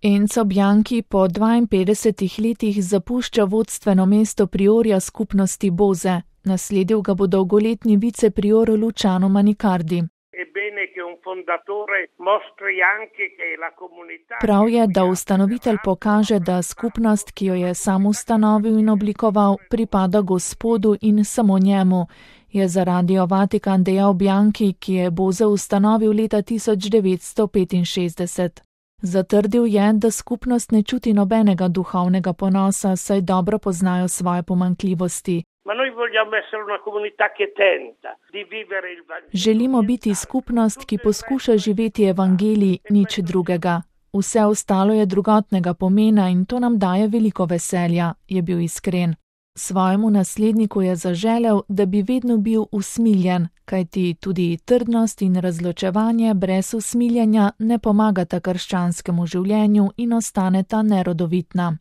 Enzo Bianchi po 52 letih zapušča vodstveno mesto priorja skupnosti Boze. Nasledil ga bo dolgoletni viceprior Luciano Manicardi. Prav je, da ustanovitelj pokaže, da skupnost, ki jo je sam ustanovil in oblikoval, pripada Gospodu in samo njemu, je za Radio Vatikan dejal Bianchi, ki je Boze ustanovil leta 1965. Zatrdil je, da skupnost ne čuti nobenega duhovnega ponosa, saj dobro poznajo svoje pomanjkljivosti. Želimo biti skupnost, ki poskuša živeti evangelij, nič drugega. Vse ostalo je drugotnega pomena in to nam daje veliko veselja, je bil iskren. Svojemu nasledniku je zaželel, da bi vedno bil usmiljen, kajti tudi trdnost in razločevanje brez usmiljenja ne pomagata krščanskemu življenju in ostaneta nerodovitna.